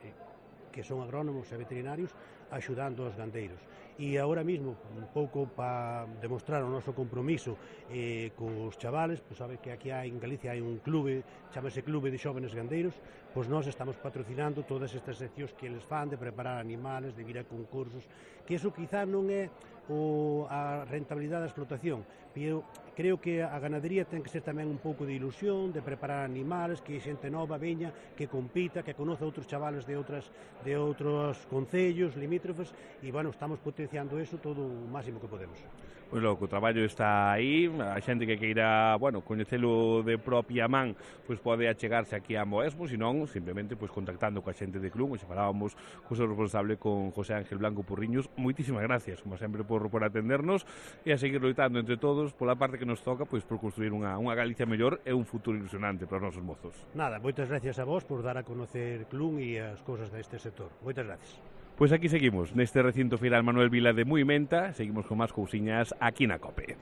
que son agrónomos e veterinarios axudando aos gandeiros. E agora mesmo, un pouco para demostrar o noso compromiso cos chavales, pois sabe que aquí en Galicia hai un clube, chamase Clube de Xóvenes Gandeiros, pois nós estamos patrocinando todas estas seccións que eles fan de preparar animales, de vir a concursos, que eso quizá non é a rentabilidade da explotación, pero creo que a ganadería ten que ser tamén un pouco de ilusión, de preparar animales, que xente nova veña, que compita, que conoce outros chavales de outros concellos limítrofes, e bueno, estamos potenciando eso todo o máximo que podemos. Pois logo, o traballo está aí, a xente que queira, bueno, coñecelo de propia man, pois pode achegarse aquí a Moesmo, senón, simplemente, pois contactando coa xente de Clun, e se falábamos co seu responsable, con José Ángel Blanco Purriños. Moitísimas gracias, como sempre, por atendernos, e a seguir loitando entre todos, pola parte que nos toca, pois por construir unha Galicia mellor e un futuro ilusionante para os nosos mozos. Nada, moitas gracias a vos por dar a conocer Clun e as cousas deste sector. Moitas gracias. Pois aquí seguimos, neste recinto feiral Manuel Vila de Muimenta, seguimos con máis cousiñas aquí na COPE.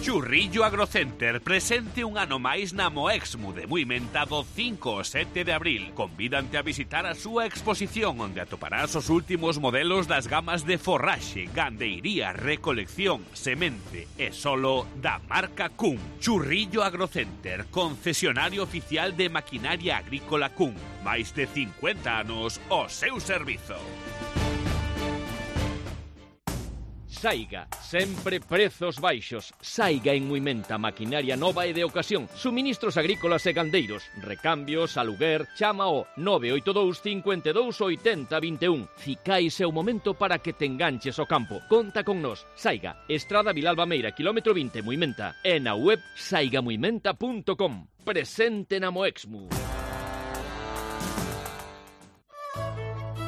Churrillo Agrocenter presente un ano máis na Moexmu de Muimenta do 5 ao 7 de abril. Convídante a visitar a súa exposición onde atoparás os últimos modelos das gamas de forraxe, gandeiría, recolección, semente e solo da marca Kuhn. Churrillo Agrocenter, concesionario oficial de maquinaria agrícola Kuhn. Máis de 50 anos ao seu servizo. Saiga, sempre prezos baixos. Saiga en Muimenta, maquinaria nova e de ocasión. Suministros agrícolas e gandeiros. Recambios, aluguer, chama o 982 52 80 21. Ficais é o momento para que te enganches ao campo. Conta con nós. Saiga, Estrada Vilalba Meira, kilómetro 20, Muimenta. E na web saigamuimenta.com. Presente na Moexmu.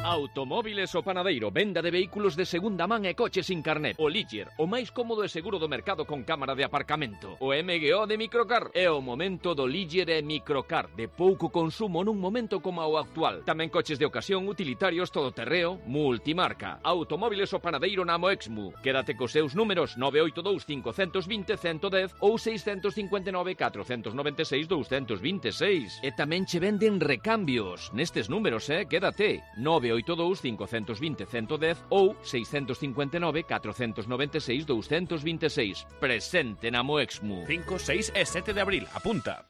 Automóviles O Panadeiro, venda de vehículos de segunda man e coches sin carnet. O Ligier, o máis cómodo e seguro do mercado con cámara de aparcamento. O MGO de Microcar, é o momento do Ligier e Microcar, de pouco consumo nun momento como o actual. Tamén coches de ocasión, utilitarios, todoterreo, multimarca. Automóviles O Panadeiro na Moexmu. Quédate cos seus números 982 520 110 ou 659 496 226. E tamén che venden recambios. Nestes números, quédate. 982 520 110 ou 659 496 226. Presente na Moexmu. 5, 6 e 7 de abril. Apunta.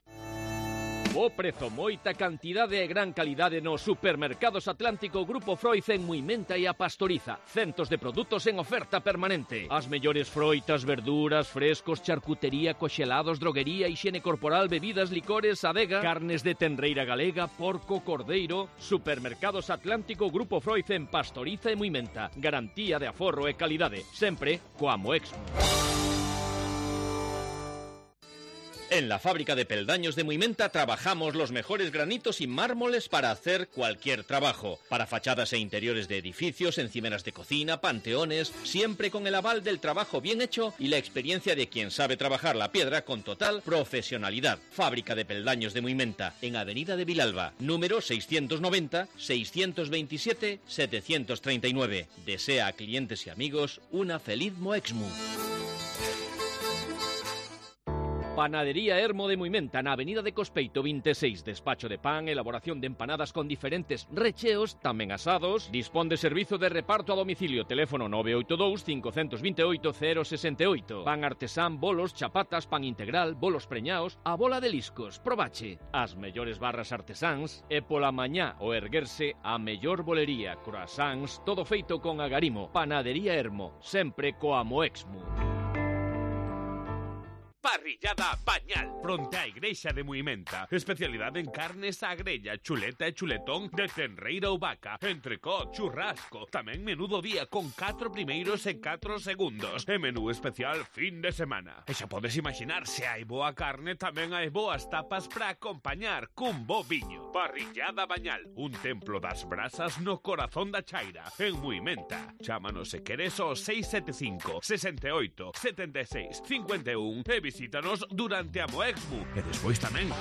Bo prezo, moita cantidade e gran calidade nos supermercados Atlántico Grupo Froiz en Muimenta e a Pastoriza. Centos de produtos en oferta permanente. As mellores froitas, verduras, frescos, charcutería, coxelados, droguería, higiene corporal, bebidas, licores, adega, carnes de tenreira galega, porco, cordeiro. Supermercados Atlántico Grupo Froiz en Pastoriza e Muimenta. Garantía de aforro e calidade. Sempre coa Moexmu. En la fábrica de peldaños de Muimenta trabajamos los mejores granitos y mármoles para hacer cualquier trabajo. Para fachadas e interiores de edificios, encimeras de cocina, panteones, siempre con el aval del trabajo bien hecho y la experiencia de quien sabe trabajar la piedra con total profesionalidad. Fábrica de peldaños de Muimenta, en Avenida de Vilalba, número 690-627-739. Desea a clientes y amigos una feliz Moexmu. Panadería Hermo de Muimenta, na Avenida de Cospeito 26. Despacho de pan, elaboración de empanadas con diferentes recheos, tamén asados. Dispón de servizo de reparto a domicilio. Teléfono 982 528 068. Pan artesán, bolos, chapatas, pan integral, bolos preñaos, a bola de liscos. Probache. As mellores barras artesáns e pola mañá o erguerse a mellor bolería. Croissants, todo feito con agarimo. Panadería Hermo, sempre coa Moexmu. Parrillada Bañal, fronte á igrexa de Muimenta. Especialidade en carnes á grella, chuleta e chuletón de tenreira ou vaca, entrecot, churrasco, tamén menú do día con 4 primeiros e 4 segundos, e menú especial fin de semana. E xa podes imaginar, se hai boa carne, tamén hai boas tapas para acompañar cun bo viño. Parrillada Bañal, un templo das brasas no corazón da Chaira, en Muimenta. Chámanos se queres ao 675 68 76 51 e visítanos durante a Moexmu e despois tamén.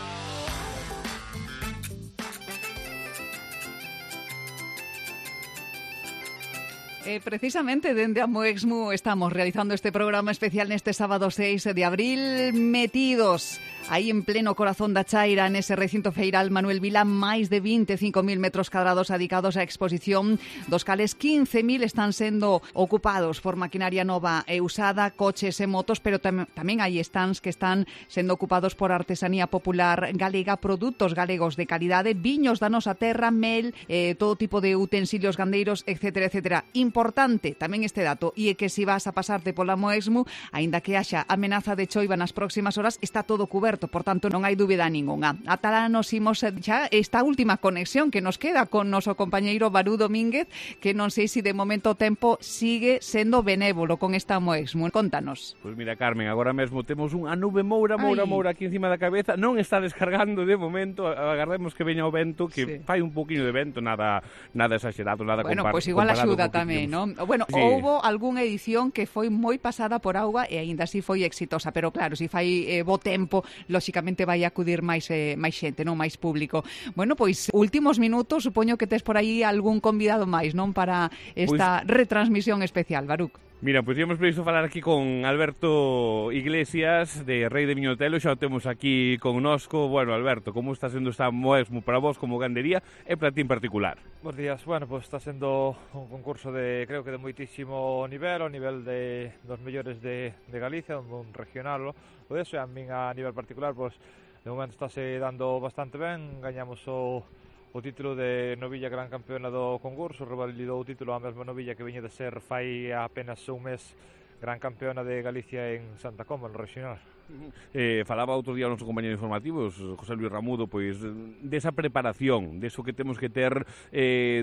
Precisamente dende a Moexmu estamos realizando este programa especial neste sábado 6 de abril, metidos aí en pleno corazón da Chaira, nese recinto feiral Manuel Vila, máis de 25.000 metros cadrados dedicados á exposición, dos cales 15.000 están sendo ocupados por maquinaria nova e usada, coches e motos, pero tamén hai stands que están sendo ocupados por artesanía popular galega, produtos galegos de calidade, viños da nosa terra, mel, todo tipo de utensilios gandeiros, etcétera, etcétera. Importante tamén este dato, e é que se vas a pasarte pola Moexmu, aínda que haxa amenaza de choiva nas próximas horas, está todo cuberto, por tanto non hai dúbida ningunha. Ata lá nos imos xa esta última conexión que nos queda con noso compañeiro Barú Domínguez, que non sei se de momento o tempo sigue sendo benévolo con esta Moexmu. Contanos. Pois mira, Carmen, agora mesmo temos unha nube moura aquí encima da cabeza, non está descargando de momento, agardemos que veña o vento, que fai un poquinho de vento, nada exagerado, nada comparado. Bueno, pois igual axuda tamén, non? Bueno, sí. Houbo algunha edición que foi moi pasada por auga e aínda así foi exitosa, pero claro, se fai bo tempo lóxicamente vai acudir máis xente, non, máis público. Bueno, pois últimos minutos, supoño que tes por aí algún convidado máis, non, para esta retransmisión especial, Baruc. Mira, pois íamos previsto falar aquí con Alberto Iglesias de Rei de Viñotelo, xa o temos aquí connosco. Bueno, Alberto, como está sendo esta Moexmo para vos como gandería e para ti en particular? Bos días, bueno, pues está sendo un concurso creo que de moitísimo nivel, ao nivel dos mellores de Galicia, un regional, o deso, e a min a nivel particular, pues de momento estáse dando bastante ben, gañamos o título de novilla gran campeona do concurso, revalidou o título a mesma novilla que veña de ser fai apenas un mes gran campeona de Galicia en Santa Comba, no regional. Falaba outro día o noso compañero informativos, José Luis Ramudo, pois desa preparación, deso que temos que ter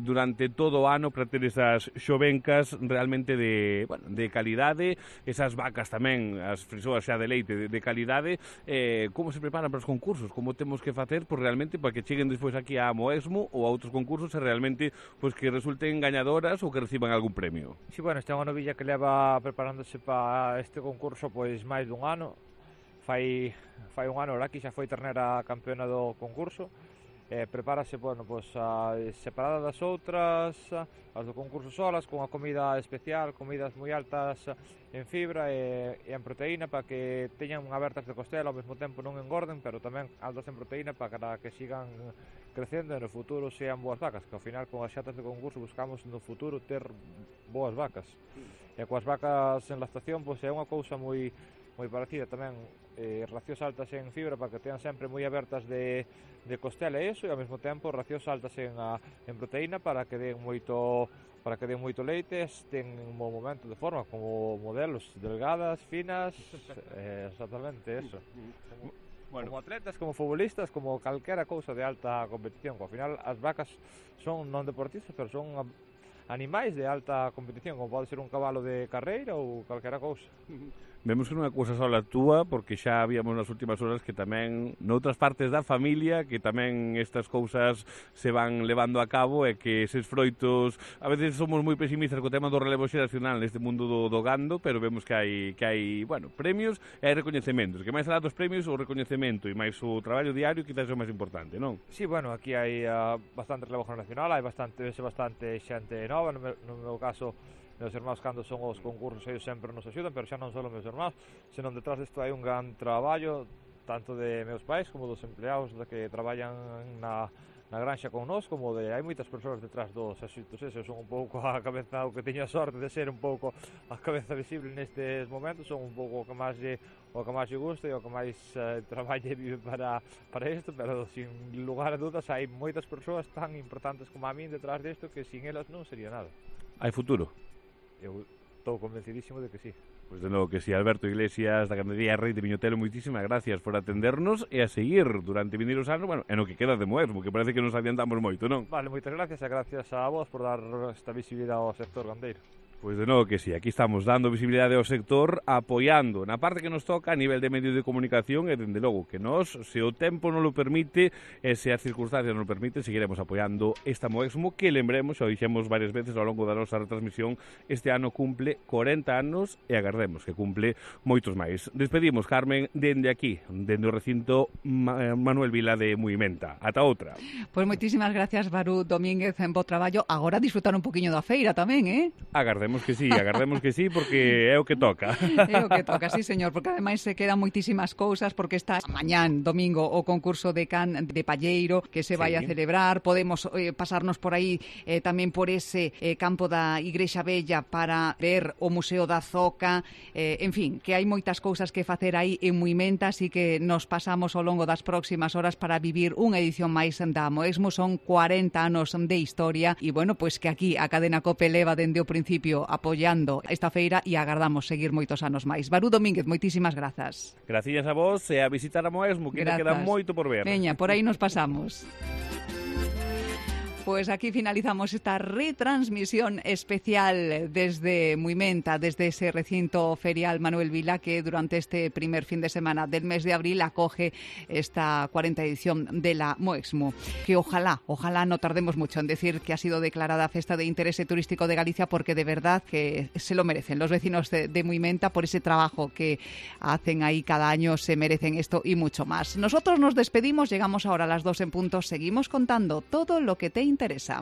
durante todo o ano para ter esas xovencas realmente de calidade, esas vacas tamén, as frisoas xa de leite de calidade. Como se preparan para os concursos? Como temos que facer realmente para que cheguen despois aquí a Moexmo ou a outros concursos e realmente pois que resulten gañadoras ou que reciban algún premio? Sí, bueno, esta é unha novilla que leva preparándose para este concurso pois máis dun ano. Fai un ano aquí xa foi ternera campeona do concurso. Prepárase, bueno, pues, separada das outras, as do concurso solas, con a comida especial, comidas moi altas en fibra e en proteína para que teñan abertas de costela, ao mesmo tempo non engorden, pero tamén altas en proteína para que sigan crecendo e no futuro sean boas vacas, que ao final con as xatas de concurso buscamos no futuro ter boas vacas. E coas vacas en lactación, pues, é unha cousa moi parecida tamén, racións altas en fibra para que tean sempre moi abertas de costela e iso, e ao mesmo tempo racións altas en proteína para que den moito leite, ten un bom momento de forma como modelos delgadas, finas, exactamente eso. Como atletas, como futbolistas, como calquera cousa de alta competición, que ao final as vacas son non deportistas, pero son animais de alta competición, como pode ser un cabalo de carreira ou calquera cousa. Vemos que non é cousa sola túa, porque xa habíamos nas últimas horas que tamén noutras partes da familia que tamén estas cousas se van levando a cabo e que eses froitos, a veces somos moi pesimistas co tema do relevo xeracional neste mundo do gando, pero vemos que hai bueno, premios e hai recoñecementos, que máis alá dos premios o recoñecemento e máis o traballo diario quizás é o máis importante, non? Sí, bueno, aquí hai bastante relevo generacional, hai bastante xente nova, no meu caso meus irmáns cando son os concursos eles sempre nos axudan, pero xa non só meus irmáns, senón detrás disto hai un gran traballo tanto de meus pais como dos empleados que traballan na granxa con nós, como hai moitas persoas detrás dos éxitos eses. Son un pouco a cabeza, o que teño a sorte de ser un pouco a cabeza visible nestes momentos, son un pouco o que máis lle gusta e o que máis traballe e vive para isto, pero sin lugar a dudas hai moitas persoas tan importantes como a min detrás disto que sin elas non sería nada. Hai futuro? Eu estou convencidísimo de que sí. Pois de novo que sí, Alberto Iglesias da gandería Rei de Viñotelo, moitísimas gracias por atendernos e a seguir durante vindeiros anos, bueno, en o que queda de Moexmo, que parece que nos adiantamos moito, non? Vale, moitas gracias e gracias a vos por dar esta visibilidade ao sector gandeiro. Pois de novo que sí, aquí estamos dando visibilidade ao sector, apoiando na parte que nos toca a nivel de medios de comunicación e, dende logo, que nos, se o tempo non lo permite e se as circunstancias non lo permiten, seguiremos apoiando esta Moexmo que, lembremos, xa o dixemos varias veces ao longo da nosa retransmisión, este ano cumple 40 anos e agardemos que cumple moitos máis. Despedimos, Carmen, dende aquí, dende o recinto Manuel Vila de Muimenta. Ata outra. Pois moitísimas gracias, Baruc Domínguez, en bo traballo. Agora disfrutar un poquinho da feira tamén, Agardemos que sí, porque é o que toca. É o que toca, sí, señor, porque ademais se quedan moitísimas cousas, porque está mañán, domingo, o concurso de can de palleiro que se vai a celebrar. Podemos pasarnos por aí tamén por ese campo da Igrexa Bella para ver o Museo da Zoca, en fin, que hai moitas cousas que facer aí en Muimenta, así que nos pasamos ao longo das próximas horas para vivir unha edición máis da Moexmo. Son 40 anos de historia e, bueno, pois que aquí a cadena COPE leva dende o principio apoiando esta feira e agardamos seguir moitos anos máis. Baruc Domínguez, moitísimas grazas. Gracias a vos e a visitar a Moexmo, que te queda moito por ver. Veña, por aí nos pasamos. Pues aquí finalizamos esta retransmisión especial desde Muimenta, desde ese recinto ferial Manuel Vila, que durante este primer fin de semana del mes de abril acoge esta 40ª edición de la Moexmo. Que ojalá no tardemos mucho en decir que ha sido declarada Festa de Interés Turístico de Galicia, porque de verdad que se lo merecen los vecinos de Muimenta por ese trabajo que hacen ahí cada año, se merecen esto y mucho más. Nosotros nos despedimos, llegamos ahora a las 2 en punto, seguimos contando todo lo que te interesa.